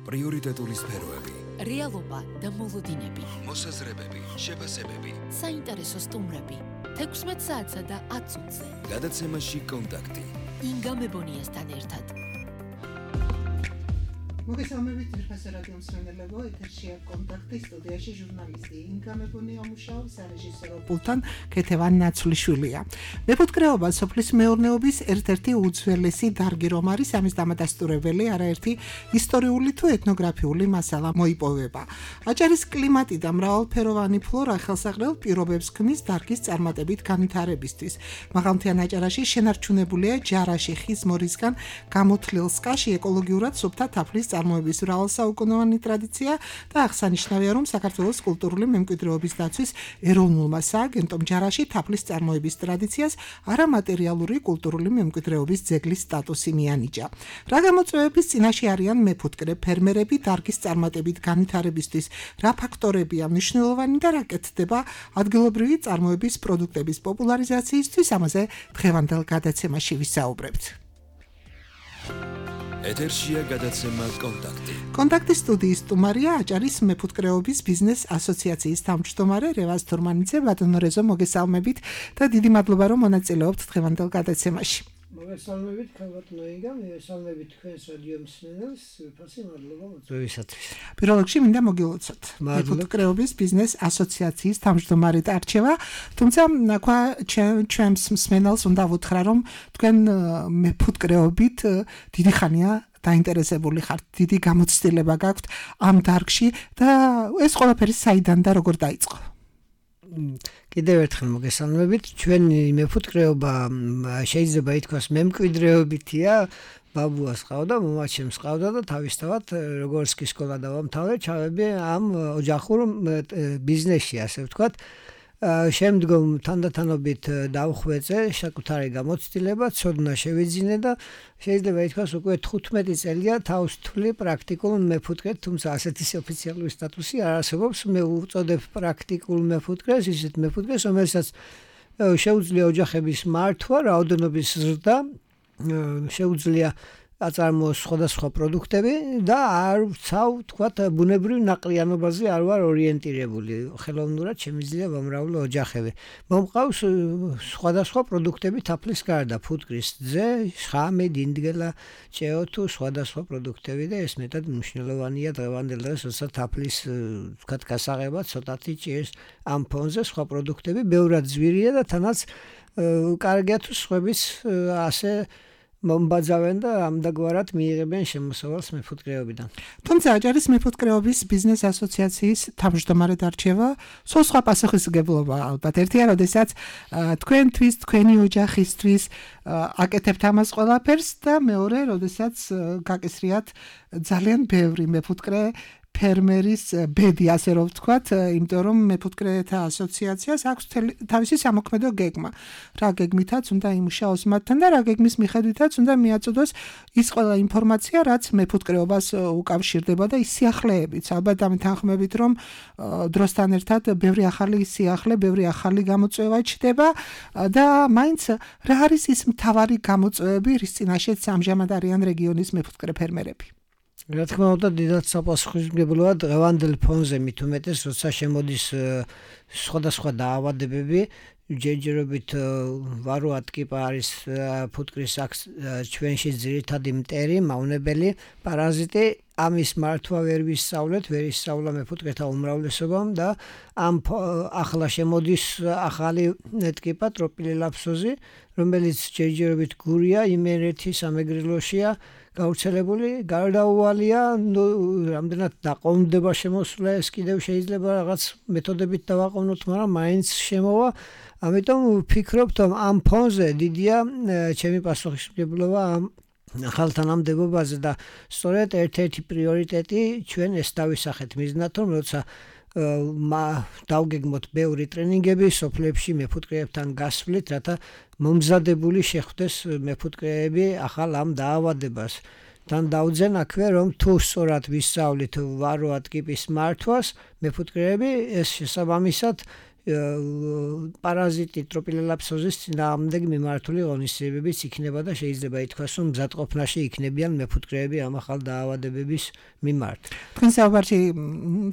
პრიორიტეტული სფეროები, რეალობა და მოლოდინები, მოსაზრებები, შეფასებები, საინტერესო სტუმრები, 16 საათსა და 10 წუთზე. გადაცემაში კონტაქტი. ინგა მებონიასთან ერთად. მოგესალმებით ძვირფასო რადიო მსმენელებო, ეთერშია კონტაქტი, სტუდიაში ჟურნალისტი ინგა მებონია მუშაობს, სარეჟისორო პულტთან ქეთევან ნაცვლიშვილია. მეფუტკრეობა სოფლის მეურნეობის ერთ-ერთი უძველესი დარგი რომ არის, ამის დამადასტურებელი არაერთი ისტორიული თუ ეთნოგრაფიული მასალა მოიპოვება. აჭარის კლიმატი და მრავალფეროვანი ფლორა ხელსაყრელ პირობებს ქმნის დარგის წარმატებით განვითარებისთვის. მაღალმთიან აჭარაში შენარჩუნებულია ჯარაში ხის მორისგან გამოთლილ სკაში ეკოლოგიურად სუფთა თაფლის წარმოების მრავალსაუკუნოვანი ტრადიცია და აღსანიშნავია, რომ საქართველოს კულტურული მემკვიდრეობის დაცვის ეროვნულმა სააგენტომ ჯარაში თაფლის წარმოების ტრადიციას არამატერიალური კულტურული მემკვიდრეობის ძეგლის სტატუსი მიანიჭა. რა გამოწვევების წინაშე არიან მეფუტკრე ფერმერები დარგის წარმატებით განვითარებისთვის, რა ფაქტორებია მნიშვნელოვანი და რა კეთდება ადგილობრივი წარმოების პროდუქტების პოპულარიზაციისთვის, ამაზე დღევანდელ გადაცემაში ვისაუბრებთ. ეთერშია გადაცემა კონტაქტი. კონტაქტის სტუდიის სტუმარია აჭარის მეფუტკრეობის ბიზნეს ასოციაციის თავმჯდომარე რევაზ თურმანიძე. ბატონო რეზო, მოგესალმებით და დიდი მადლობა რომ მონაწილეობთ დღევანდელ გადაცემაში. მოგესალმებით, ბატონო ინგა, მოგესალმებით თქვენს რადიო მსმენელს, ფასი მადლობა მოწვევისათვის. პირველ რიგში მინდა მოგილოცოთ მეფუტკრეობის ბიზნეს ასოციაციის თავმჯდომარედ არჩევა, თუმცა ჩვენს მსმენელს უნდა ვუთხრა, რომ თქვენ მეფუტკრეობით დიდი ხანია დაინტერესებული ხართ, დიდი გამოცდილება გაქვთ ამ დარგში და ეს ყველაფერი საიდან და როგორ დაიწყო? კიდევ ერთხელ მოგესალმებით, ჩვენი მეფუტკრეობა შეიძლება ითქვას მემკვიდრეობითია, ბაბუას ყავდა, მომაჩემს ყავდა და თავისთავად როგორც კი სკოლა დავამთავრე, ჩავები ამ ოჯახურ ბიზნესში, ასე ვთქვათ. შემდგომ თანდათანობით დავხვეწე საკუთარი გამოცდილება, ცოდნა შევიძინე და შეიძლება ითქვას უკვე 15 წელია თავს თვლი პრაქტიკულ მეფუტკრედ, თუმცა ასეთი ოფიციალური სტატუსი არ არსებობს. მე უწოდებ პრაქტიკულ მეფუტკრეს, ისეთ მეფუტკრეს, რომელსაც შეუძლია ოჯახების მართვა, რაოდენობის ზრდა, შეუძლია აწარმოოს სხვადასხვა პროდუქტები და არ ვცავ, თქვათ, ბუნებრივ ნაყრიანობაზე არ ვარ ორიენტირებული. ხელოვნურად შემიძლია ვამრავლო ოჯახები. მომყავს სხვადასხვა პროდუქტები თაფლის გარდა, ფუტკრის ძე, შხამი, დინდგელა, ჭეოთუ, სხვადასხვა პროდუქტები და ეს მეტად მნიშვნელოვანია დღევანდელ დღეს, როცა თაფლის, თქვათ, გასაღება ცოტათი ჭირს ამ ფონზე სხვა პროდუქტები, ბევრად ძვირია და თანაც კარგია თუ სხვების ასე მომბაძავენ და ამდაგვარად მიიღებენ შემოსავალს მეფუტკრეობიდან. თუმცა აჭარის მეფუტკრეობის ბიზნეს ასოციაციის თავმჯდომარედ არჩევა სულ სხვა პასუხისმგებლობა ალბათ. ერთია, როდესაც თქვენთვის, თქვენი ოჯახისთვის აკეთებთ ამას ყველაფერს და მეორე, როდესაც გაკისრიათ ძალიან ბევრი მეფუტკრე ფერმერის ბედი, ასე რომ ვთქვათ, იმიტომ რომ მეფუტკრეთა ასოციაციას აქვს თავისი სამოქმედო გეგმა. რა გეგმითაც უნდა იმუშაოს მათთან და რა გეგმის მიხედვითაც უნდა მიაწოდოს ის ყველა ინფორმაცია, რაც მეფუტკრეობას უკავშირდება და ის სიახლეებიც. ალბათ ამეთანხმებით, რომ დროსთან ერთად ბევრი ახალი სიახლე, ბევრი ახალი გამოწვევა ჩდება და მაინც რა არის ის მთავარი გამოწვევები, რის წინაშეც ამჟამად არიან რეგიონის მეფუტკრე ფერმერები? რა თქმა უნდა, დიდად საპასუხისმგებლოა დღევანდელ ფონზე, მით უმეტეს, როცა შემოდის სხვადასხვა დაავადებები, ჯერჯერობით ვაროა ტკიპა არის ფუტკრის ჩვენში ძირითადი მტერი, მავნებელი პარაზიტი, ამის მართვა ვერ ვისწავლეთ, ვერ ისწავლა მეფუტკრეთა უმრავლესობამ და ამ ახლა შემოდის ახალი ტკიპა ტროპილელაფსოზი, რომელიც ჯერჯერობით გურია, იმერეთის სამეგრელოშია გავრცელებული, გარდაუვალია, რამდენად დაყოვნდება შემოსვლა, ეს კიდევ შეიძლება რაღაც მეთოდებით დავაყოვნოთ, მაგრამ მაინც შემოვა. ამიტომ ვფიქრობთ, რომ ამ ფონზე დიდია ჩემი პასუხისმგებლობა ამ ახალთან ამდებობაზე და სწორედ ერთ-ერთი პრიორიტეტი ჩვენ ეს დავისახეთ მიზნად, რომ როცა დავგეგმოთ ბევრი ტრენინგები სოფლებში მეფუტკრეებთან გასვლით, რათა მომზადებული შეხვდეს მეფუტკრეები ახალ ამ დაავადებას. თან დავძენ აქვე, რომ თუ სწორად ვისწავლით ვაროა ტკიპის მართვას, მეფუტკრეები ეს შესაბამისად პარაზიტი ტროპილელაფსოზის წინააღმდეგ მიმართული ღონისძიებებიც იქნება და შეიძლება ითქვას, რომ მზადყოფნაში იქნებიან მეფუტკრეები ამ ახალ დაავადებების მიმართ. თქვენ საუბარში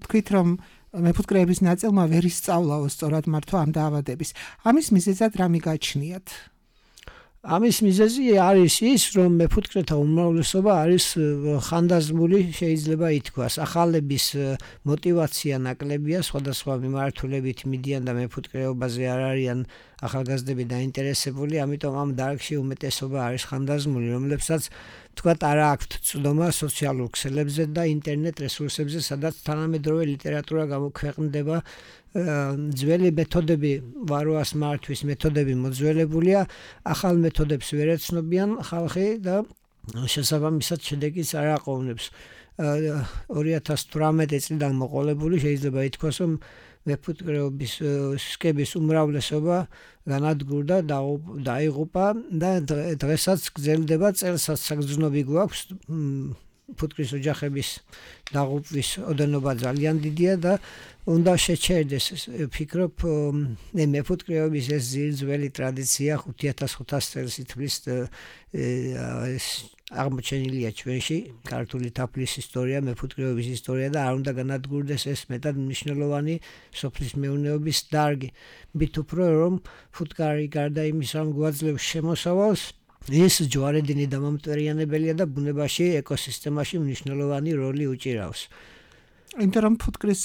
თქვით, რომ მეფუტკრეების ნაწილმა ვერ ისწავლაო სწორად მართვა ამ დაავადების. ამის მიზეზად რა მიგაჩნიათ? ამის მიზეზი არის ის, რომ მეფუტკრეთა უმრავლესობა არის ხანდაზმული, შეიძლება ითქვას. ახალების мотиваცია ნაკლებია, სხვადასხვა მიმართულებით მიდიან და მეფუტკრეობაზე არ არიან ახალგაზრდები დაინტერესებული, ამიტომ ამ დარგში უმეტესობა არის ხანდაზმული, რომლებსაც თქვათ არ აქვთ ცდომა სოციალურ ქსელებზე და ინტერნეტ რესურსებზე, სადაც თანამედროვე ლიტერატურა გამოქვეყნდება. ძველი მეთოდები, ვაროას მართვის მეთოდები მოძველებულია, ახალ მეთოდებს ვერ ეცნობიან ხალხი და შესაბამისად შედეგიც არ აყოვნებს. 2018 წლიდან მოყოლებული შეიძლება ითქვას, რომ მეფუტკრეობის სქემის უმრავლესობა განადგურდა, დაიღუპა და დღესაც გრძელდება, წელსაც საგრძნობი გვაქვს. ფუტკრის ოჯახების დაღუპვის ოდენობა ძალიან დიდია და უნდა შეჩერდეს. ფიქრობ, მეფუტკრეობის ეს ძველი ტრადიცია 5500 წელს ითვლის აღმოჩენილია ჩვენში ქართული თაფლის ისტორია, მეფუტკრეობის ისტორია და არ უნდა განადგურდეს ეს მეტად მნიშვნელოვანი სოფლის მეურნეობის დარგი. მით უფრო რომ ფუტკარი გარდა იმისა, რომ გვაძლევს შემოსავალს, ეს ჯვარედინი დამამტვერიანებელია და ბუნებაში, ეკოსისტემაში მნიშვნელოვანი როლი უჭირავს. იმიტომ რომ ფუტკრის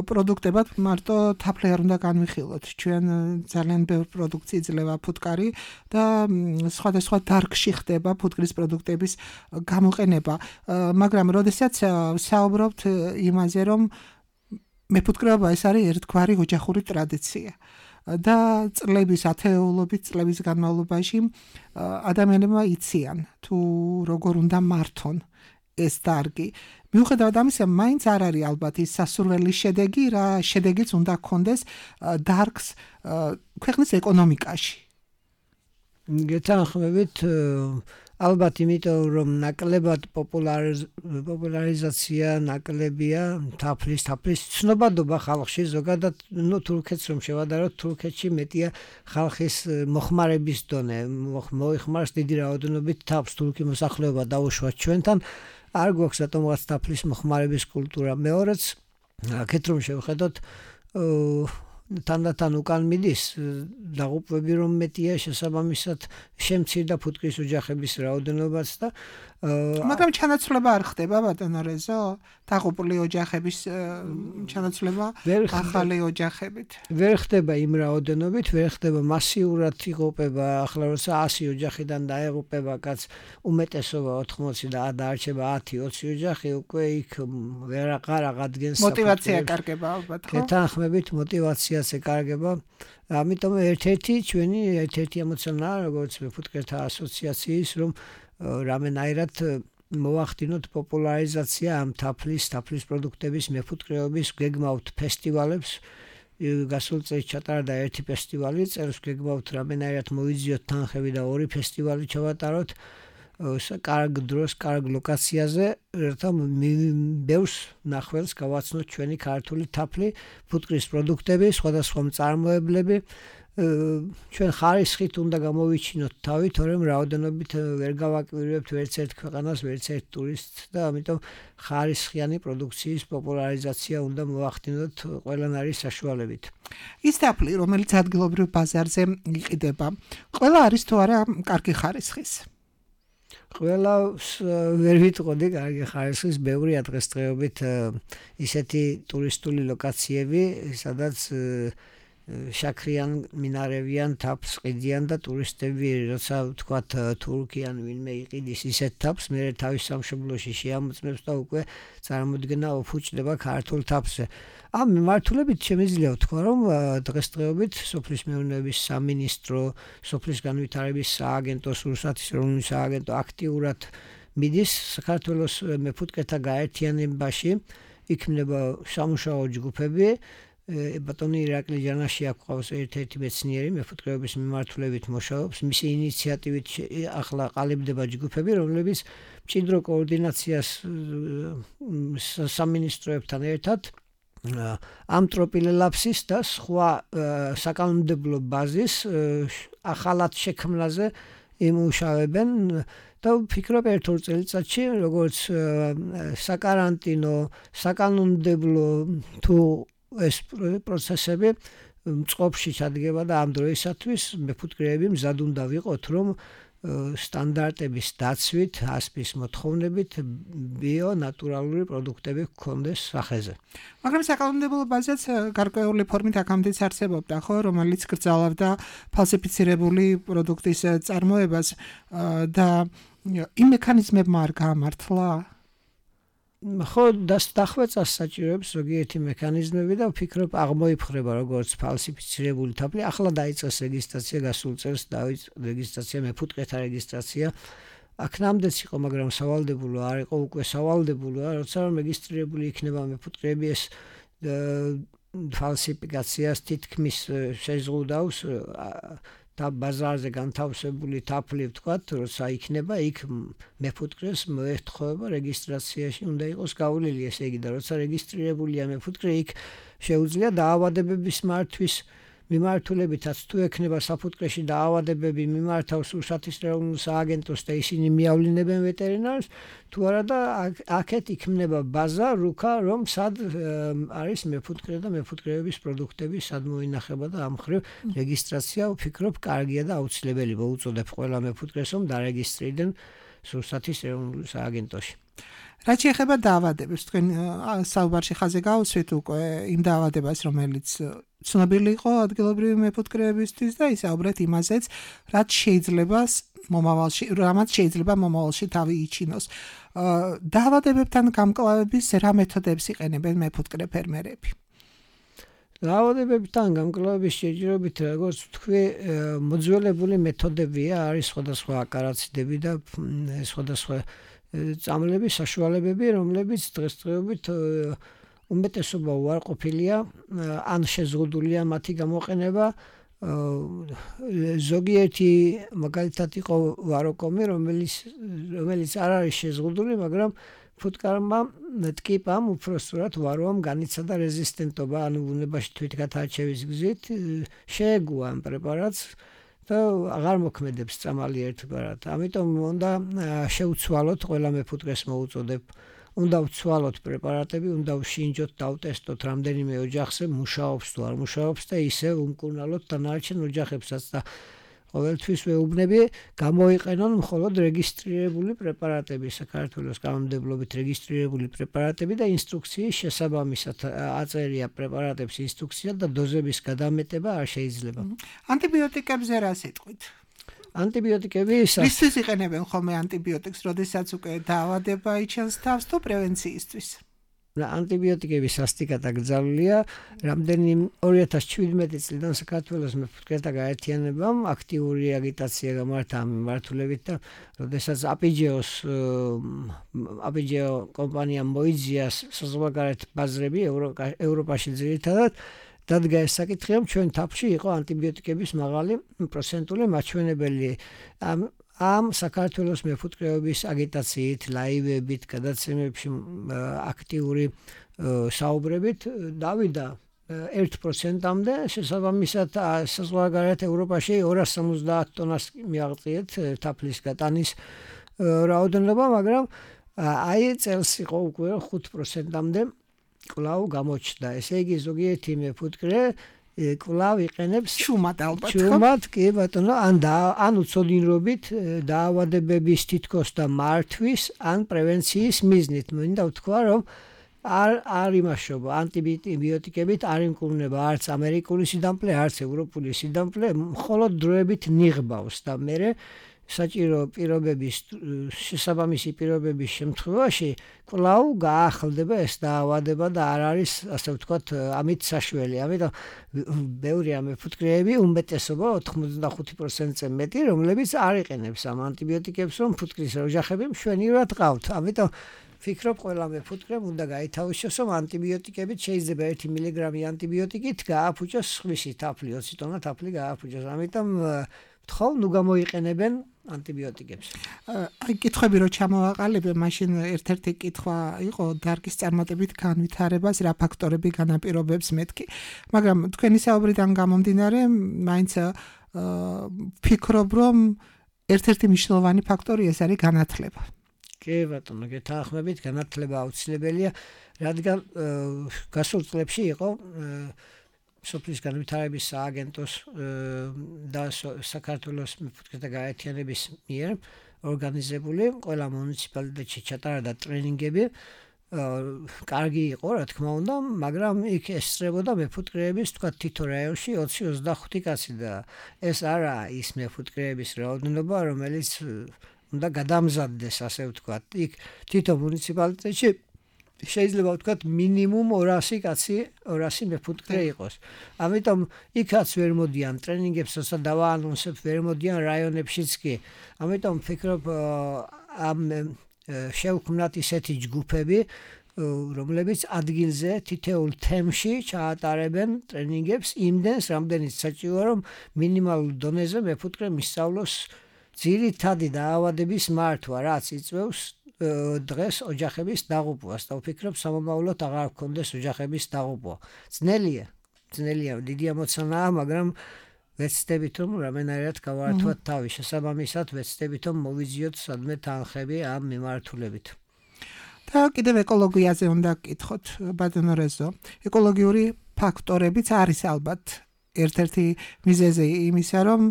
პროდუქტებად მარტო თაფლი არ უნდა განვიხილოთ. ჩვენ ძალიან ბევრ პროდუქტს იძლევა ფუტკარი და სხვადასხვა დარგში ხდება ფუტკრის პროდუქტების გამოყენება. მაგრამ როდესაც საუბრობთ იმაზე, რომ მეფუტკრეობა ეს არის ერთგვარი ოჯახური ტრადიცია. და წლების ათეულობით წლების განმავლობაში ადამიანებმა იციან თუ როგორ უნდა მართონ ეს დარგი. მიუხედავად ამისა, მაინც არ არის ალბათ ის სასურველი შედეგი, რა შედეგიც უნდა ჰქონდეს დარგს ქვეყნის ეკონომიკაში. გეთანხმებით, ალბათ იმიტომ რომ ნაკლებად პოპულარიზაცია ნაკლებია თაფლის ცნობადობა ხალხში ზოგადად, თურქეთს რომ შევადაროთ, თურქეთში მეტია ხალხის მოხმარების დონე, მოიხმარს დიდი რაოდენობით თაფლს, თურქი მოსახლეობა დაუშვათ ჩვენთან, არ გვაქვს რატომღაც თაფლის მოხმარების კულტურა. მეორეც, აქეთ რომ შევხედოთ, თანდათან უკან მიდის დაღუპვები რომ მეტია, შესაბამისად შემცირდა ფუტკრის ოჯახების რაოდენობაც და მაგრამ ჩანაცვლება არ ხდება ბატონო რეზო, დაღუპული ოჯახების ჩანაცვლება ახალი ოჯახებით. ვერ ხდება იმ რაოდენობით, ვერ ხდება მასიურად იღუპება, ახლა როცა 100 ოჯახიდან დაეღუპება კაც უმეტესობა 80 და დაარჩება 10-20 ოჯახი, უკვე იქ ვეღარ აღადგენს мотиваცია კარგება ალბათ, ხო? გეთანხმებით, мотиваციაც ეკარგება. ამიტომ ერთ-ერთი ჩვენი ემოციონალი, როგორც მეფუტკრეთა ასოციაციის, რომ რამენაირად მოახდინოთ პოპულარიზაცია ამ თაფლის პროდუქტების მეფუტკრეობის, გეგმავთ ფესტივალებს. გასულ წელს ჩატარდა ერთი ფესტივალი, წელს გეგმავთ რამენაირად მოიძიოთ თანხები და 2 ფესტივალი ჩავატაროთ. კარგ დროს, კარგ ლოკაციაზე, რათა ბევრს ნახველს გავაცნოთ ჩვენი ქართული თაფლი, ფუტკრის პროდუქტები, სხვადასხვა მწარმოებლები. ჩვენ ხარისხით უნდა გამოვიჩინოთ თავი, თორემ რაოდენობით ვერ გავაკვირვებთ ვერც ერთ ქვეყანას, ვერც ერთ ტურისტს და ამიტომ ხარისხიანი პროდუქციის პოპულარიზაცია უნდა მოახდინოთ ყველანაირი საშუალებით. ის თაფლი, რომელიც ადგილობრივ ბაზარზე იყიდება, ყველა არის თუ არა კარგი ხარისხის? ყველას ვერ ვიტყოდი კარგი ხარისხის, ბევრია დღესდღეობით ისეთი ტურისტული ლოკაციები, სადაც შაქრიან, მინარევიან, თაფლს ყიდიან და ტურისტები, როცა ვთქვათ თურქიან ვინმე იყიდის ისეთ თაფლს, მე თავის სამშობლოში შეამოწმებს და უკვე წარმოდგენა ოფუჭდება ქართულ თაფლზე. ამ მიმართულებით შემიძლია ვთქვა, რომ დღესდღეობით სოფლის მეურნეობის სამინისტრო, სოფლის განვითარების სააგენტო, რუსეთის ეროვნული სააგენტო აქტიურად მიდის საქართველოს მეფუტკრეთა გაერთიანებაში, იქმნება სამუშაო ჯგუფები. ბატონი ირაკლი ჯანაშვილი აქვს ერთ-ერთი მეცნიერი მეფუტკრეობის მიმართულებით მუშაობს, მისი ინიციატივით ახლა ყალიბდება ჯგუფები, რომლებიც მჭიდრო კოორდინაციას სამინისტროებთან ერთად ამ ტროპილელაფსის და სხვა საკანონმდებლო ბაზის ახალად შექმნაზე იმუშავებენ და ვფიქრობ ერთ ორ წელიწადში როგორც საკარანტინო საკანონმდებლო თუ ეს პროცესები წყობში ჩადგება და ამ დროისათვის მეფუტკრეები მზად უნდა ვიყოთ რომ სტანდარტების დაცვით, ასპის მოთხოვნებით ბიო ნატურალური პროდუქტები გქონდეს სახეზე. მაგრამ საკანონმდებლო ბაზაც გარკვეული ფორმით აქამდეც არსებობდა, ხო, რომელიც გრძალავდა ფალსიფიცირებული პროდუქტის წარმოებას და იმ მექანიზმებმა არ გაამართლა? ხო, დახვეწას საჭიროებს ზოგიერთი მექანიზმები და ვფიქრობ აღმოიფხვრება როგორც ფალსიფიცირებული თაფლი. ახლა დაიწყეს რეგისტრაცია, გასულ წელს დაიწყო რეგისტრაცია, მეფუტკრეთა რეგისტრაცია. აქ ნამდვილად იყო, მაგრამ სავალდებულო არ იყო, უკვე სავალდებულოა, როცა რომ რეგისტრირებული იქნება მეფუტკრეები ეს ფალსიფიკაციას თითქმის შეზღუდავს და ბაზარზე განთავსებული თაფლი ვთქვათ, როცა იქნება იქ მეფუტკრეს მოეთხოვება რეგისტრაციაში უნდა იყოს გავლილი, ესე იგი და როცა რეგისტრირებულია მეფუტკრე იქ შეუძლია დაავადებების მართვის მიმართულებითაც თუ ექნება საფუტკრეში დაავადებები მიმართავს რუსეთის ეროვნულ სააგენტოს და ისინი მიავლინებენ ვეტერინარს თუ არა და აქეთ იქმნება ბაზა რუქა რომ სად არის მეფუტკრე და მეფუტკრეების პროდუქტები სად მოინახება და ამ ხრივ რეგისტრაცია ვფიქრობ კარგია და აუცილებელი მოუწოდებ ყველა მეფუტკრეს რომ დარეგისტრირდნენ რუსეთის ეროვნულ სააგენტოში. რაც შეეხება დაავადებებს, თქვენ საუბარში ხაზე გავუსვით უკვე იმ დაავადებას, რომელიც ცნობილი იყო ადგილობრივი მეფუტკრეებისთვის და ისაუბრეთ იმაზეც, რაც შეიძლება მომავალში თავი იჩინოს. დაავადებებთან გამკლავების რა მეთოდებს იყენებენ მეფუტკრე ფერმერები? დაავადებებთან გამკლავების შეჯიბრებით, როგორც თქვი, მოძველებული მეთოდებია, არის სხვადასხვა აკარაციდები და სხვადასხვა წამლები, საშუალებები, რომლებიც დღესდღეობით უმეტესობა უარყოფილია, ან შეზღუდულია მათი გამოყენება. ზოგიერთი მაგალითად იყო ვაროკომი, რომელიც არ არის შეზღუდული, მაგრამ ფუტკარმა ტკიპამ უпроსტურად ვაროამ განიცადა რეზისტენტობა, ანუ ბუნებაში თვითგათარჩევის გზით შეეგუა ამ პრეპარატს და აღარ მოქმედებს წამალი ერთგვარად. ამიტომ უნდა შევცვალოთ ყველა მეფუტკრეს მოუწოდებ. უნდა ვცვალოთ პრეპარატები, უნდა ვშინჯოთ, დავტესტოთ რამდენიმე ოჯახზე მუშაობს თუ არ მუშაობს და ისე უმკურნალოთ დანარჩენ ოჯახებსაც და ყოველთვის ვეუბნები გამოიყენონ მხოლოდ რეგისტრირებული პრეპარატები, საქართველოს კანონმდებლობით რეგისტრირებული პრეპარატები და ინსტრუქციის შესაბამისად აწერია პრეპარატებს ინსტრუქცია და დოზების გადამეტება არ შეიძლება. ანტიბიოტიკებზე რა სიტყვით? ანტიბიოტიკები რისთვის იყენებენ ხოლმე ანტიბიოტიკს, როდესაც უკვე დაავადება იჩენს თავს თუ პრევენციისთვის? ანტიბიოტიკები სასტიკად აკრძალულია. რამდენიმე 2017 წლიდან საქართველოს მეფუტკრეთა გაერთიანებამ აქტიური აგიტაცია გამართა ამ მიმართულებით და როდესაც აპიჯეო კომპანიამ მოიძია საზღვარგარეთ ბაზრები ევროპაში ძირითადად დადგა ეს საკითხი, რომ ჩვენ თაფლში იყო ანტიბიოტიკების მაღალი პროცენტული მაჩვენებელი. ამ საქართველოს მეფუტკრეობის აგიტაციით, ლაივებით, გადაცემებში აქტიური საუბრებით დავიდა 1%-მდე, შესაბამისად საზღვარგარეთ ევროპაში 270 ტონას მიაღწიეთ თაფლის გატანის რაოდენობა, მაგრამ აი წელს იყო უკვე 5%-მდე კვლავ გამოჩნდა. ესე იგი ზოგიერთი მეფუტკრე კვლავ იყენებს ჩუმად ალბათ. ჩუმად, კი ბატონო, ან უცოდინრობით დაავადებების თითქოს და მართვის, ან პრევენციის მიზნით. მინდა ვთქვა, რომ არ იმაშობა ანტიბიოტიკებით არ იმკურნება არც ამერიკული სიდამპლე, არც ევროპული სიდამპლე, მხოლოდ დროებით ნიღბავს და მერე საჭირო პირობების შესაბამისი პირობების შემთხვევაში კვლავ გაახლდება ეს დაავადება და არ არის ასე ვთქვათ ამით საშველი. ამიტომ ბევრია მეფუტკრეები, უმეტესობა 85%-ზე მეტი, რომლებიც არ იყენებს ამ ანტიბიოტიკებს, რომ ფუტკრის ოჯახები მშვენივრად ყავთ. ამიტომ ვფიქრობ ყველა მეფუტკრემ უნდა გაითავისოს, რომ ანტიბიოტიკებით შეიძლება 1 მილიგრამი ანტიბიოტიკით გააფუჭოს სხვისი თაფლი, 20 ტონა თაფლი გააფუჭოს. ამიტომ ვთხოვ, ნუ გამოიყენებენ ანტიბიოტიკებს. აი კითხვები რო ჩამოვაყალიბე, მაშინ ერთ-ერთი კითხვა იყო დარგის წარმატებით განვითარებას რა ფაქტორები განაპირობებს მეთქი. მაგრამ თქვენი საუბრიდან გამომდინარე, მაინც ფიქრობ, რომ ერთ-ერთი მნიშვნელოვანი ფაქტორი ეს არის განათლება. კი ბატონო, გეთანხმებით, განათლება აუცილებელია, რადგან გასულ წლებში იყო სოფლის განვითარების სააგენტოს და საქართველოს მეფუტკრეთა გაერთიანების მიერ ორგანიზებული ყველა მუნიციპალიტეტში ჩატარდა ტრენინგები. კარგი იყო, რა თქმა უნდა, მაგრამ იქ ესწრებოდა მეფუტკრეების თქვა თითო რაიონში 20-25 კაცი და ეს არა ის მეფუტკრეების რაოდენობა, რომელიც უნდა გადამზადდეს, ასე ვთქვათ. იქ თითო მუნიციპალიტეტში შეიძლება ვთქვათ მინიმუმ 200 კაცი, 200 მეფუტკრე იყოს. ამიტომ იქაც ვერ მოდიან ტრენინგებს, როცა დავაანონსებ, ვერ მოდიან რაიონებშიც კი. ამიტომ ვფიქრობ ამ შევქმნათ ისეთი ჯგუფები, რომლებიც ადგილზე თითოეულ თემში ჩაატარებენ ტრენინგებს იმდენს, რამდენიც საჭიროა, რომ მინიმალურ დონეზე მეფუტკრე მისწავლოს ძირითადი დაავადების მართვა, რაც იწვევს დღეს ოჯახების დაღუპვას და ვფიქრობ სამომავლოდ აღარ გქონდეს ოჯახების დაღუპვა. ძნელია, დიდი ამოცანაა, მაგრამ ვეცდებით რომ რამენერად გავართვათ თავი, შესაბამისად ვეცდებით რომ მოვიძიოთ სადმე თანხები ამ მიმართულებით. და კიდევ ეკოლოგიაზე უნდა გკითხოთ, ბატონო რეზო. ეკოლოგიური ფაქტორებიც არის ალბათ ერთ-ერთი მიზეზი იმისა, რომ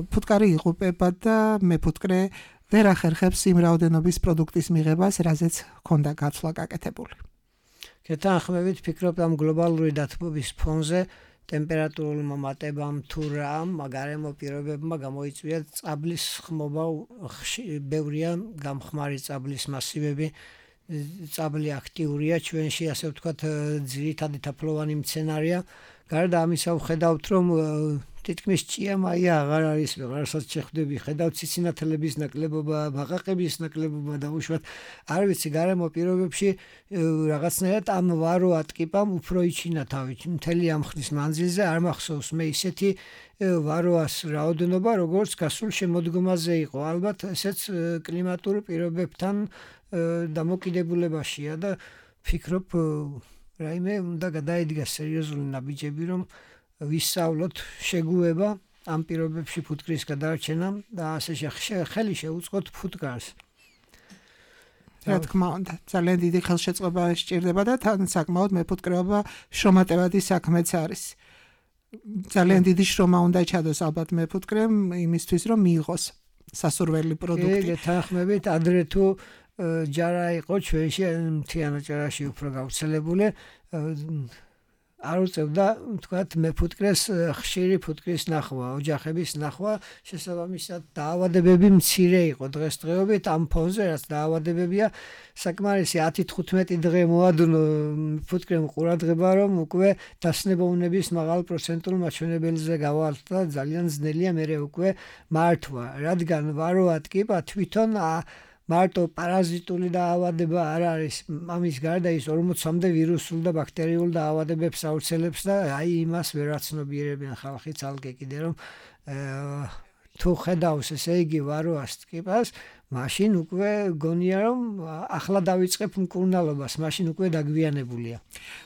ფუტკარი იღუპება და მეფუტკრე ვერ ახერხებს იმ რაოდენობის პროდუქტის მიღებას, რაზეც ჰქონდა გაცვლა გაკეთებული. გეთანხმებით, ვფიქრობ ამ გლობალური დათბობის ფონზე ტემპერატურულ მომატებამ თუ რა გარემო პირობებმა გამოიწვია წაბლის ხმობა, ბევრია გამხმარი წაბლის მასივები, წაბლი აქტიურია ჩვენში, ასე ვთქვათ, ძირითადი თაფლოვანი მცენარეა. გარდა ამისა ვხედავთ, რომ თითქმის ჭიამაია აღარ არის, ვეღარსაც შეხვდები, ხედავთ ციცინათელების ნაკლებობა, ბაყაყების ნაკლებობა და უშუალოდ არ ვიცი გარემო პირობებში რაღაცნაირად ამ ვარო ატკიპამ უფრო იჩინა თავი. მთელი ამ ხნის მანძილზე არ მახსოვს მე ისეთი ვაროას რაოდენობა, როგორც გასულ შემოდგომაზე იყო. ალბათ ესეც კლიმატურ პირობებთან დამოკიდებულებაშია და ვფიქრობ რაიმე უნდა გადაიდგას სერიოზული ნაბიჯები, რომ ვისწავლოთ შეგუება ამ პირობებში ფუტკრის გადარჩენამ და ასე ხელი შეუწყოთ ფუტკარს. რა თქმა უნდა, ძალიან დიდი ხელშეწყობა სჭირდება და თან საკმაოდ მეფუტკრეობა შრომატევადი საქმეც არის. ძალიან დიდი შრომა უნდა ჩადოს ალბათ მეფუტკრემ იმისთვის, რომ მიიღოს სასურველი პროდუქტი. გეთანხმებით, ადრე თუ ჯარა იყო ჩვენში მთიან ჯარაში უფრო გავრცელებული, არ უწევდა, თქვათ, მეფუტკრეს ხშირი ფუტკრის ნახვა, ოჯახების ნახვა, შესაბამისად დაავადებები მცირე იყო დღესდღეობით ამ ფონზე, რაც დაავადებებია საკმარისი 10-15 დღე მოადუნო ფუტკრემ ყურადღება, რომ უკვე დასნებოვნების მაღალ პროცენტულ მაჩვენებელზე გავალთ და ძალიან ძნელია მერე უკვე მართვა, რადგან ვაროატკიპა თვითონ მარტო პარაზიტული დაავადება არ არის, ამის გარდა ის 40-მდე ვირუსულ და ბაქტერიულ დაავადებებს ავრცელებს და აი იმას ვერ აცნობიერებენ ხალხი ცალკე კიდე რომ თუ ხედავს ესე იგი ვაროას ტკიპას, მაშინ უკვე გონია რომ ახლა დავიწყებ მკურნალობას, მაშინ უკვე დაგვიანებულია.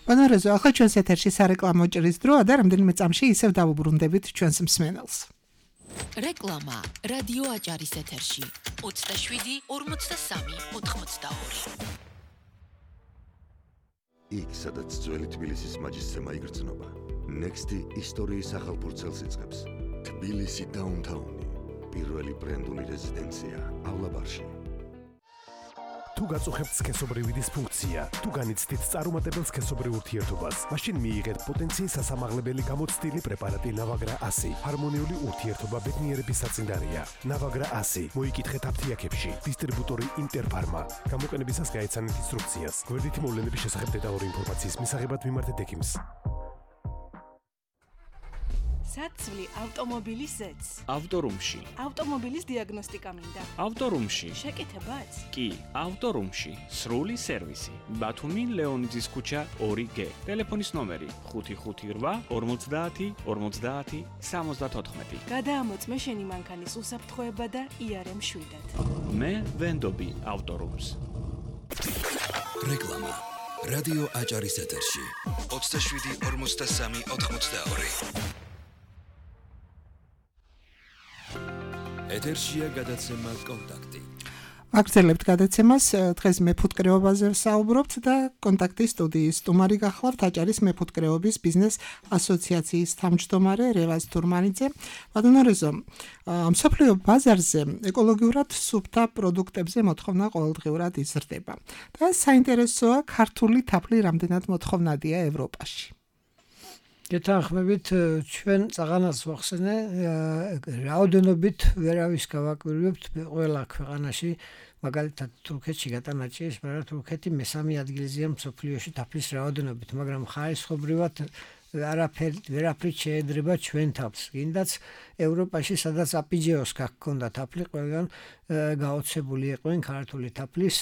ბატონო რეზო, ახლა ჩვენს ეთერში სარეკლამო ჭრის დროა და რამდენიმე წამში ისევ დავუბრუნდებით ჩვენს მსმენელს. რეკლამა რადიო აჭარის ეთერში 27 43 82. იქ სადაც ძველი თბილისის მაჯისცემა იგრძნობა, ნექსტი ისტორიის ახალფურცელს იწყებს. თბილისი დაუნთაუნი, პირველი ბრენდული რეზიდენციაავლაბარში. თუ გაწუხებთ სქესობრივი დისფუნქცია, თუ განიცდით წარუმატებელ სქესობრივ ურთიერთობას, მაშინ მიიღეთ პოტენციის სასამაღლებელი გამოცდილი პრეპარატი ნავაგრა 100. ჰარმონიული ურთიერთობა ბედნიერების საწინდარია. ნავაგრა 100. მოიკითხეთ აფთიაქებში. დისტრიბუტორი ინტერფარმა. გამოყენებისას გაეცანით ინსტრუქციას. გვერდითი მოვლენების შესახებ დეტალური ინფორმაციის მისაღებად მიმართეთ ექიმს. საცვლი ავტომობილის ზეც. ავტორუმში. ავტომობილის დიაგნოსტიკა მინდა. ავტორუმში. შეკეთებაც? კი, ავტორუმში. სრული სერვისი. ბათუმი ლეონიძის ქუჩა 2G. ტელეფონის ნომერი 558 50 50 74. გადაამოწმე შენი მანქანის უსაფრთხოება და IRM 7-ად. მე ვენდობი ავტორუმს. რეკლამა. რადიო აჭარის ეთერში 27 53 82. ეთერშია გადაცემა კონტაქტი. აგრძელებთ გადაცემას, დღეს მეფუტკრეობაზე ვსაუბრობთ და კონტაქტის სტუდიის სტუმარი გახლავთ აჭარის მეფუტკრეობის ბიზნეს ასოციაციის თავმჯდომარე რევაზ თურმანიძე. ბატონო რეზო, მსოფლიო ბაზარზე ეკოლოგიურად სუფთა პროდუქტებზე მოთხოვნა ყოველდღიურად იზრდება და საინტერესოა ქართული თაფლი რამდენად მოთხოვნადია ევროპაში. გეთანხმებით ჩვენ წაღანაც ვახსენე რაოდენობით ვერავის გავაკვირვებთ ყველა ქვეყანაში მაგალითად თურქეთში გატანაჭიეს, მაგრამ თურქეთი მესამე ადგილზეა მსოფლიოში თაფლის რაოდენობით, მაგრამ ხარისხობრივად ვერაფრით შეედრება ჩვენ თავს. კიდაც ევროპაში სადაც აპიჯეოს გაქონდა თაფლი, ყველგან გაოცებული იყვნენ ქართული თაფლის,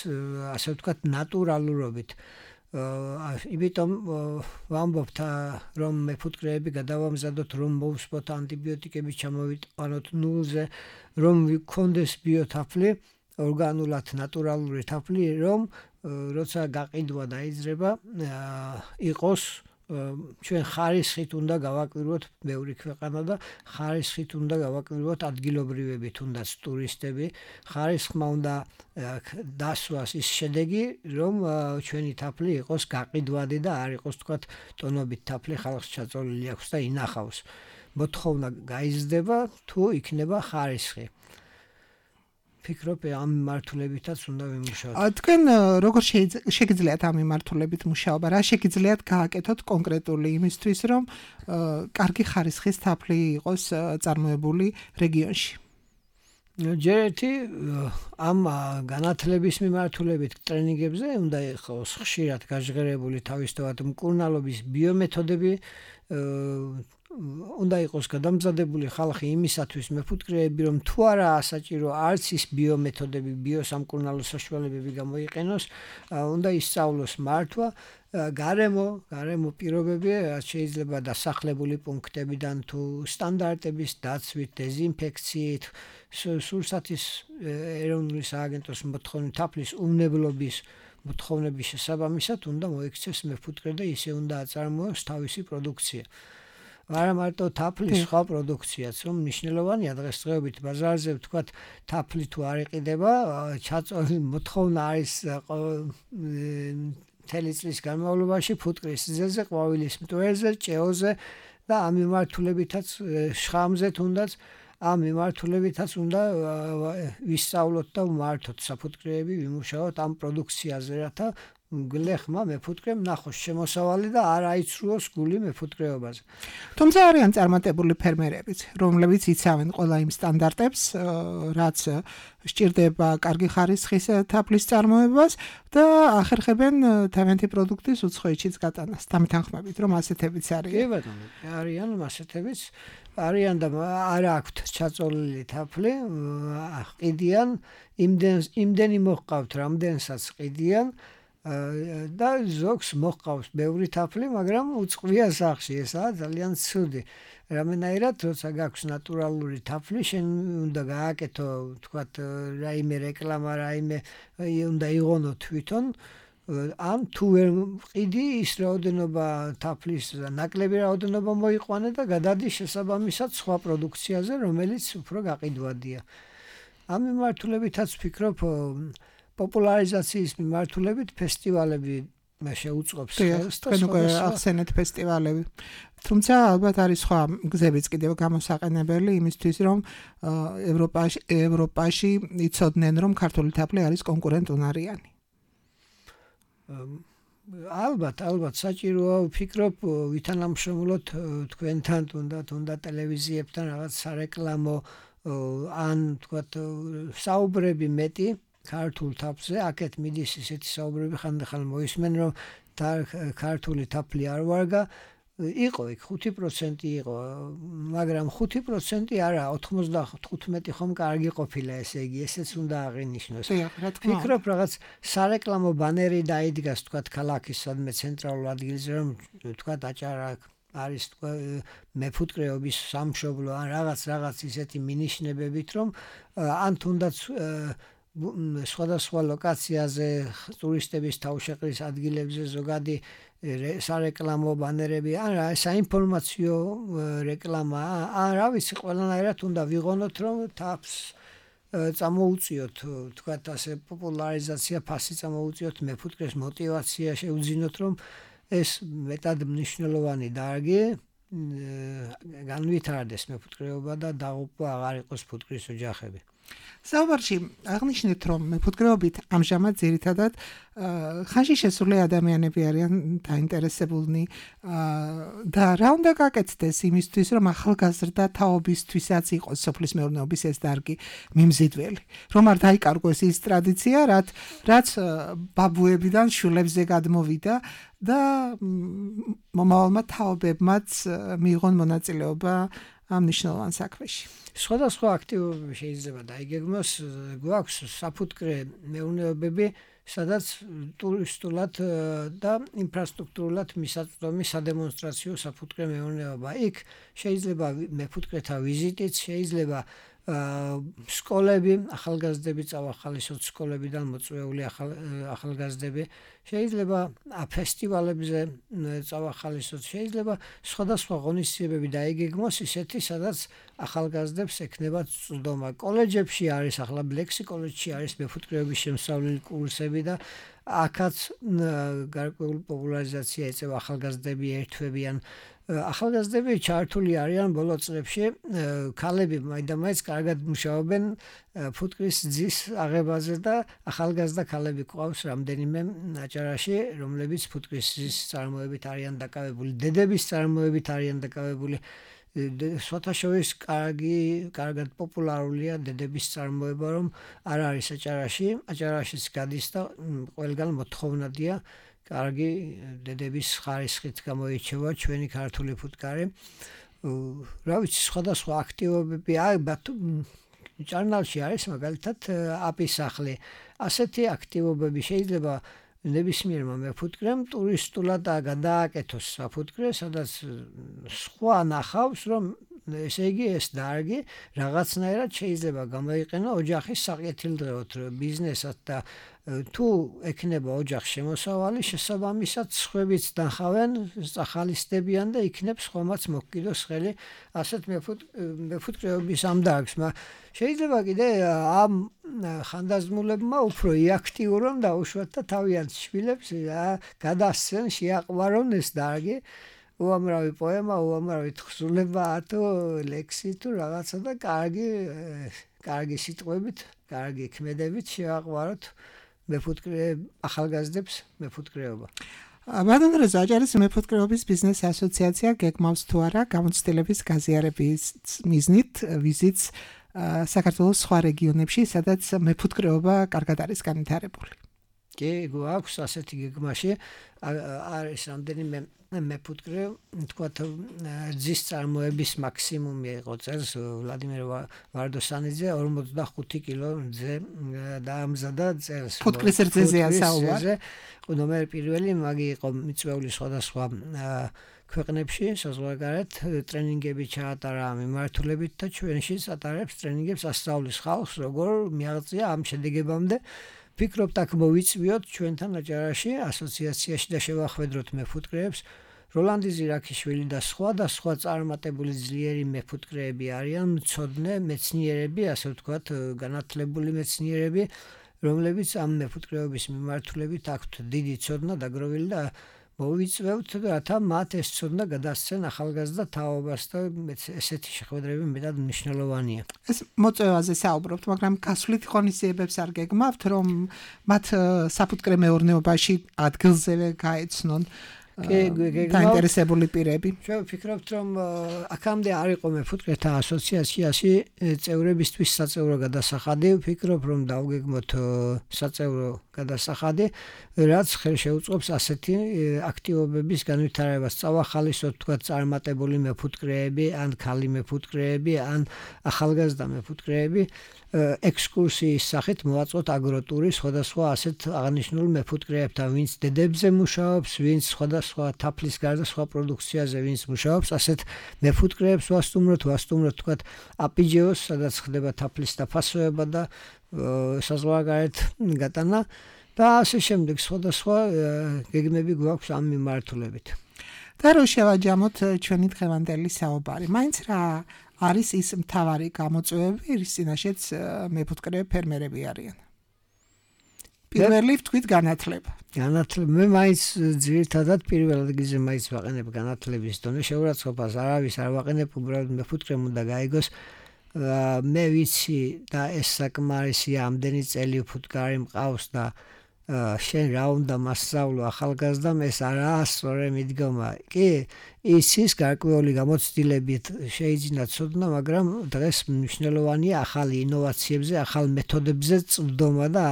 ასე ვთქვათ, ნატურალურობით. იმიტომ ვამბობთ რომ მეფუტკრეები გადავამზადოთ რომ მოვსვათ ანტიბიოტიკები ჩამოვიტანოთ ნულზე რომ ვიქონდეს ბიოთაფლი ორგანულად ნატურალური თაფლი რომ როცა გაყიდვა დაიძრება იყოს ჩვენ ხარისხით უნდა გავაკვირვოთ ბევრი ქვეყანა და ხარისხით უნდა გავაკვირვოთ ადგილობრივები თუნდაც ტურისტები ხარისხმა უნდა დასვას ის შედეგი რომ ჩვენი თაფლი იყოს გაყიდვადი და არ იყოს თქვათ ტონობით თაფლი ხალხს ჩაწოლილი აქვს და ინახავს მოთხოვნა გაიზრდება თუ იქნება ხარისხი ფიქრობ ამ მიმართულებითაც უნდა ვიმუშაოთ. თქვენ როგორ შეგიძლიათ ამ მიმართულებით მუშაობა? რა შეგიძლიათ გააკეთოთ კონკრეტული იმისთვის, რომ კარგი ხარისხის თაფლი იყოს წარმოებული რეგიონში? ჯერეთი ამ განათლების მიმართულებით ტრენინგებზე უნდა იყოს ხშირად გაჟღერებული თავისთავად მკურნალობის ბიომეთოდები უნდა იყოს გადამზადებული ხალხი იმისათვის მეფუტკრეები რომ თუ არაა საჭირო არც ის ბიომეთოდები ბიოსამკურნალო საშუალებები გამოიყენოს უნდა ისწავლოს მართვა გარემო პირობები შეიძლება დასახლებული პუნქტებიდან თუ სტანდარტების დაცვით დეზინფექციით სურსათის ეროვნული სააგენტოს მოთხოვნით თაფლის უმნებლობის მოთხოვნების შესაბამისად უნდა მოიქცეს მეფუტკრე და ისე უნდა აწარმოოს თავისი პროდუქცია არა მარტო თაფლის სხვა პროდუქციაც რომ მნიშვნელოვანია დღესდღეობით ბაზარზე ვთქვათ თაფლი თუ არ იყიდება ჩაწოლი მოთხოვნა არის მთელი წლის განმავლობაში ფუტკრის ძელზე ყვავილის მტვერზე ჭეოზე და ამ მიმართულებითაც შხამზე თუნდაც ამ მიმართულებითაც უნდა ვისწავლოთ და ვმართოთ საფუტკრეები ვიმუშაოთ ამ პროდუქციაზე რათა გლეხმა მეფუტკრემ ნახოს შემოსავალი და არ აიცრუოს გული მეფუტკრეობაზე. თუმცა არიან წარმატებული ფერმერებიც, რომლებიც იცავენ ყველა იმ სტანდარტებს, რაც სჭირდება კარგი ხარისხის თაფლის წარმოებას და ახერხებენ თავიანთი პროდუქტის უცხოეთშიც გატანას. დამეთანხმებით, რომ ასეთებიც არიან. კი ბატონო, არიან ასეთებიც, არიან და არ აქვთ ჩაწოლილი თაფლი, ყიდიან, იმდენი მოჰყავთ, რამდენსაც ყიდიან და ზოგს მოჰყავს ბევრი თაფლი, მაგრამ უწყვია სახში, ესაა ძალიან ცუდი. რამენაირად, როცა გაქვს ნატურალური თაფლი, შენ უნდა გააკეთო, თქვათ, რაიმე რეკლამა, რაიმე უნდა იღონო თვითონ, ან თუ ვერ ყიდი ის რაოდენობა თაფლის ნაკლები რაოდენობა მოიყვანე და გადადი შესაბამისად სხვა პროდუქციაზე, რომელიც უფრო გაყიდვადია. ამ მიმართულებითაც ვფიქრობ პოპულარიზაციის მიმართულებით ფესტივალები შეუწყობს ხელს და თქვენ ახსენეთ ფესტივალები. თუმცა ალბათ არის სხვა გზებიც კიდევ გამოსაყენებელი იმისთვის, რომ ევროპაში იცოდნენ, რომ ქართული თაფლი არის კონკურენტუნარიანი. ალბათ საჭიროა ვფიქრობ ვითანამშრომლოთ თქვენთან თუნდაც ტელევიზიებთან რაღაც სარეკლამო ან თქვათ საუბრები მეტი ქართულ თაფლზე, აქეთ მიდის ისეთი საუბრები ხანდახან მოისმენ, რომ ქართული თაფლი არ ვარგა, იყო იქ 5% იყო, მაგრამ 5% არა, 95 ხომ კარგი ყოფილა, ესე იგი, ესეც უნდა აღინიშნოს. ვფიქრობ, რაღაც სარეკლამო ბანერი დაიდგას, თქვა ქალაქის სადმე ცენტრალურ ადგილზე, რომ თქვა აჭარა არის თქვა მეფუტკრეობის სამშობლო ან რაღაც ისეთი მინიშნებებით, რომ ან თუნდაც სხვადასხვა ლოკაციაზე ტურისტების თავშეყრის ადგილებზე ზოგადი სარეკლამო ბანერები ან საინფორმაციო რეკლამა ან რა ვიცი ყველანაირად უნდა ვიღონოთ რომ თავს წამოუწიოთ თქვათ ასე პოპულარიზაცია ფასი წამოუწიოთ მეფუტკრეს мотивация შეუძინოთ რომ ეს მეტად მნიშვნელოვანი დარგი განვითარდეს მეფუტკრეობა და დაღუპვა აღარ იყოს ფუტკრის ოჯახები. საუბარში აღნიშნეთ რომ მეფუტკრეობით ამჟამად ძირითადად ხანში შესული ადამიანები არიან დაინტერესებულნი და რა უნდა გაკეთდეს იმისთვის რომ ახალგაზრდა თაობისთვისაც იყოს სოფლის მეურნეობის ეს დარგი მიმზიდველი რომ არ დაიკარგოს ის ტრადიცია რაც ბაბუებიდან შვილებზე გადმოვიდა და მომავალმა თაობებმაც მიიღონ მონაწილეობა ამ მნიშვნელოვან საქმეში. სხვადასხვა აქტივობები შეიძლება დაიგეგმოს, გვაქვს საფუტკრე მეურნეობები, სადაც ტურისტულად და ინფრასტრუქტურულად მისაწვდომი სადემონსტრაციო საფუტკრე მეურნეობა. იქ შეიძლება მეფუტკრეთა ვიზიტიც, შეიძლება სკოლები, ახალგაზრდები წავახალისოთ სკოლებიდან მოწვეული ახალგაზრდები, შეიძლება ფესტივალებზე წავახალისოთ, შეიძლება სხვადასხვა ღონისძიებები დაიგეგმოს ისეთი, სადაც ახალგაზრდებს ექნებათ წვდომა. კოლეჯებში არის, ახლა ბლექსი კოლეჯში არის მეფუტკრეობის შემსწავლელი კურსები და აქაც გარკვეული პოპულარიზაცია ეწევა ახალგაზრდები ერთვებიან. ახალგაზრდები ჩართული არიან ბოლო წლებში, ქალები მაინდამაინც კარგად მუშაობენ ფუტკრის ძის აღებაზე და ახალგაზრდა ქალები ყავს რამდენიმე აჭარაში, რომლებიც ფუტკრის ძის წარმოებით არიან დაკავებული, დედების წარმოებით არიან დაკავებული. სვათაშორის კარგად პოპულარულია დედების წარმოება, რომ არ არის აჭარაშიც გადის და ყველგან მოთხოვნადია კარგი დედების ხარისხით გამოირჩევა ჩვენი ქართული ფუტკარი. რა ვიცი, სხვადასხვა აქტივობები ჭარნალში არის მაგალითად აპის სახლი. ასეთი აქტივობები შეიძლება ნებისმიერმა მეფუტკრემ ტურისტულად გადააკეთოს საფუტკრე, სადაც სხვა ნახავს, რომ ესე იგი ეს დარგი რაღაცნაირად შეიძლება გამოიყენო ოჯახის საკეთილდღეოდ ბიზნესად და თუ ექნება ოჯახს შემოსავალი, შესაბამისად სხვებიც დახავენ, წახალისდებიან და იქნებს ხომაც მოგკიდოს ხელი ასეთ მეფუტკრეობის ამ დარგს. შეიძლება კიდე ამ ხანდაზმულებმა უფრო იაქტიურონ და უშუალოდ თავიანთ შვილებს გადასცენ, შეაყვარონ ეს დარგი. უამრავი პოემა, უამრავი თხზულება, თუ ლექსი თუ რაღაცა და კარგი სიტყვებით, კარგი ქმედებით შეაყვაროთ ახალგაზრდებს მეფუტკრეობა. ბატონო აჭარის მეფუტკრეობის ბიზნეს ასოციაცია გეგმავს თუ არა გამოცდილების გაზიარების მიზნით ვიზიტს საქართველოს სხვა რეგიონებში, სადაც მეფუტკრეობა კარგად არის განვითარებული. კი, გვაქვს ასეთი გეგმაში, არის რამდენიმე მეფუტკრე, თქვათ ძის წარმოების მაქსიმუმი იყო წელს ვლადიმერ ვარდოსანიძე 45 კილო ძე დაამზადა წელს. ფუტკრის რძეზეა საუბარი. ნომერ პირველი მაგი იყო მიწვეული სხვადასხვა ქვეყნებში საზღვარგარეთ ტრენინგები ჩაატარა მიმართულებით და ჩვენშიც ატარებს ტრენინგებს ასწავლის ხალხს როგორ მიაღწია ამ შედეგებამდე. ვფიქრობთ აქ მოვიწვიოთ ჩვენთან აჭარაში ასოციაციაში და შევახვედროთ მეფუტკრეებს. როლანდი ზირაქიშვილი და სხვა წარმატებული ძლიერი მეფუტკრეები არიან, მცოდნე მეცნიერები, ასე ვთქვათ, განათლებული მეცნიერები, რომლებიც ამ მეფუტკრეობის მიმართულებით აქვთ დიდი ცოდნა დაგროვილი და მოვიწვევთ, რათა მათ ეს ცოდნა გადასცენ ახალგაზრდა თაობას და ესეთი შეხვედრები მეტად მნიშვნელოვანია. ეს მოწვევაზე საუბრობთ, მაგრამ გასვლით ღონისძიებებს არ გეგმავთ, რომ მათ საფუტკრე მეურნეობაში ადგილზევე გაეცნონ დაინტერესებული პირები. ჩვენ ვფიქრობთ, რომ აქამდე არ იყო მეფუტკრეთა ასოციაციაში წევრებისთვის საწევრო გადასახადი. ვფიქრობ, რომ დავგეგმოთ საწევრო გადასახადი, რაც ხელშეუწყობს ასეთი აქტივობების განვითარებას. წავახალისოთ თქვა წარმატებული მეფუტკრეები, ან ქალი მეფუტკრეები, ან ახალგაზრდა მეფუტკრეები ექსკურსიის სახით მოვაწყოთ აგროტური სხვადასხვა ასეთ აღნიშნულ მეფუტკრეებთან, ვინც დედებზე მუშაობს, ვინც სხვადასხვა თაფლის გარდა სხვა პროდუქციაზე ვინც მუშაობს, ასეთ მეფუტკრეებს ვასტუმროთ თქვა აპიჯეოს, სადაც ხდება თაფლის დაფასება და საზღვარგარეთ გატანა და ასე შემდეგ სხვადასხვა გეგმები გვაქვს ამ მიმართულებით. და რო შევაჯამოთ ჩვენი დღევანდელი საუბარი. მაინც რა არის ის მთავარი გამოწვევები, რის წინაშეც მეფუტკრე ფერმერები არიან? პირველი ვთქვით განათლება. მე მაინც ძირითადად პირველ ადგილზე მაინც ვაყენებ განათლების დონე, შეურაცხყოფას არავის არ ვაყენებ, უბრალოდ მეფუტკრემ უნდა გაიგოს. მე ვიცი და ეს საკმარისია, ამდენი წელი ფუტკარი მყავს და შენ რა უნდა მასწავლო ახალგაზრდამ, ეს არაა სწორი მიდგომა. კი, იცის გარკვეული გამოცდილებით შეიძინა ცოდნა, მაგრამ დღეს მნიშვნელოვანია ახალი ინოვაციებზე, ახალ მეთოდებებზე წვდომა და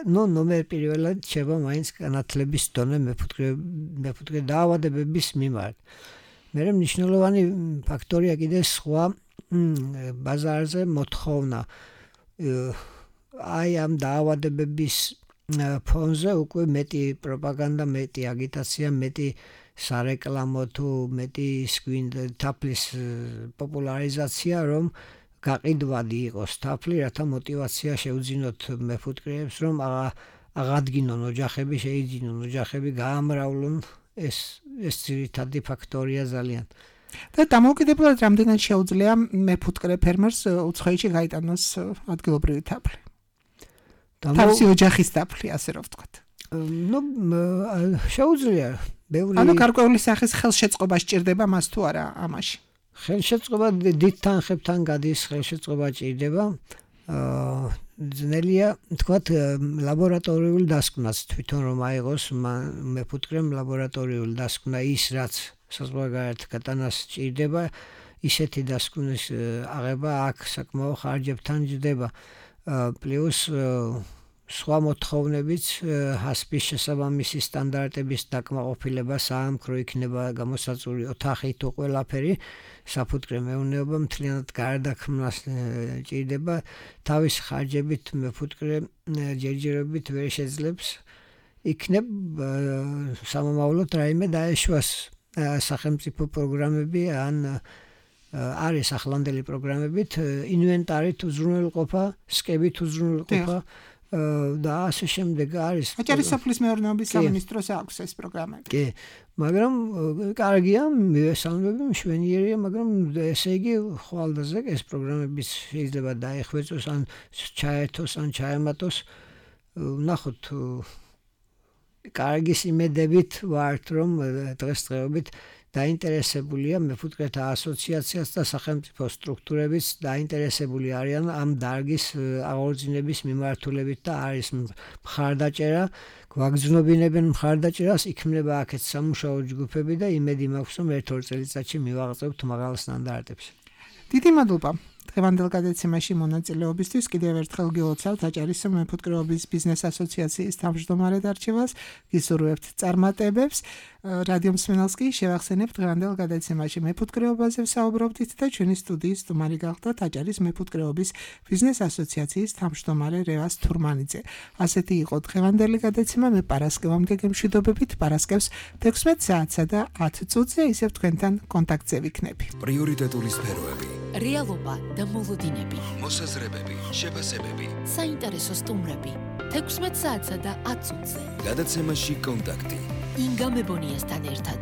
ნომერ პირველად შევა მაინც განათლების დონე მეფუტკრე დაავადებების მიმართ. მე მნიშვნელოვანი ფაქტორია კიდე სხვა ბაზარზე მოთხოვნა. აი ამ დაავადებების ფონზე უკვე მეტი პროპაგანდა, მეტი აგიტაცია, მეტი სარეკლამო თუ მეტი თაფლის პოპულარიზაცია, რომ გაყიდვადი იყოს თაფლი, რათა мотивация შეუძინოთ მეფუტკრეებს, რომ აღადგინონ ოჯახები, შეიძინონ ოჯახები, გაამრავლონ ეს ძირითადი ფაქტორია ძალიან. და დამოუკიდებლად რამდენად შეუძლია მეფუტკრე ფერმერს უცხოეთში გაიტანოს ადგილობრივი თაფლი? თავისი ოჯახის თაფლი, ასე რომ ვთქვათ. შეუძლია. ანუ გარკვეული სახის ხელშეწყობა სჭირდება მას თუ არა ამაში? ხელშეწყობა დიდ თანხებთან გადის, ხელშეწყობა ჭირდება. ძნელია თქვათ ლაბორატორიული დასკვნაც თვითონ რომ აიღოს მეფუტკრემ ლაბორატორიული დასკვნა ის რაც საზღვარგარეთ გატანას ჭირდება, ისეთი დასკვნის აღება აქ საკმაო ხარჯებთან ჯდება. პლუს სხვა მოთხოვნებიც ჰასპის შესაბამისი სტანდარტების დაკმაყოფილება, საამქრო იქნება გამოსაწული ოთახი თუ ყველაფერი, საფუტკრე მეურნეობა მთლიანად გარდაქმნას ჭირდება. თავის ხარჯებით მეფუტკრე ჯერჯერობით ვერ შეძლებს. იქნებ სამომავლოდ რაიმე დაეშვას სახელმწიფო პროგრამები ან არის ახლანდელი პროგრამებით ინვენტარით უზრუნველყოფა, სკებით უზრუნველყოფა და ასე შემდეგ არის. აჭარისოფლის მეურნეობის სამინისტროს აქვს ეს პროგრამები. კი, მაგრამ კარგია, მივესალმები, მშვენიერია, მაგრამ ესე იგი ხვალდაზე ეს პროგრამები შეიძლება დაეხვეწოს ან ჩაერთოს ან ჩაემატოს. ნახოთ კარგის იმედებით ვართ, რომ დღესდღეობით დაინტერესებულია მეფუტკრეთა ასოციაციაც და სახელმწიფო სტრუქტურებიც დაინტერესებული არიან ამ დარგის აღორძინების მიმართულებით და არის მხარდაჭერა, გვაგრძნობინებენ მხარდაჭერას, იქმნება აქეთ სამუშაო ჯგუფები და იმედი მაქვს, რომ ერთ-ორ წელიწადში მივაღწევთ მაღალ სტანდარტებს. დიდი მადლობა. დღევანდელ გადაცემაში მონაწილეობისთვის კიდევ ერთხელ გილოცავთ აჭარის მეფუტკრეობის ბიზნეს ასოციაციის თავმჯდომარედ არჩევას, გისურვებთ წარმატებებს. რადიო მსმენელს კი შევახსენებთ დღევანდელ გადაცემაში მეფუტკრეობაზე ვსაუბრობდით და ჩვენი სტუდიის სტუმარი გახლდათ აჭარის მეფუტკრეობის ბიზნეს ასოციაციის თავმჯდომარე რევას თურმანიძე. ასეთი იყო დღევანდელი გადაცემა. მე პარასკევამდე გემშვიდობებით, პარასკევს 16 საათსა და 10 წუთზე ისევ თქვენთან კონტაქტზე ვიქნები. პრიორიტეტული სფეროები, რეალობა და მოლოდინები, მოსაზრებები, შეფასებები, საინტერესო სტუმრები 16 საათსა და 10 წუთზე. გადაცემაში კონტაქტი. ინგა მებონიასთან ერთად.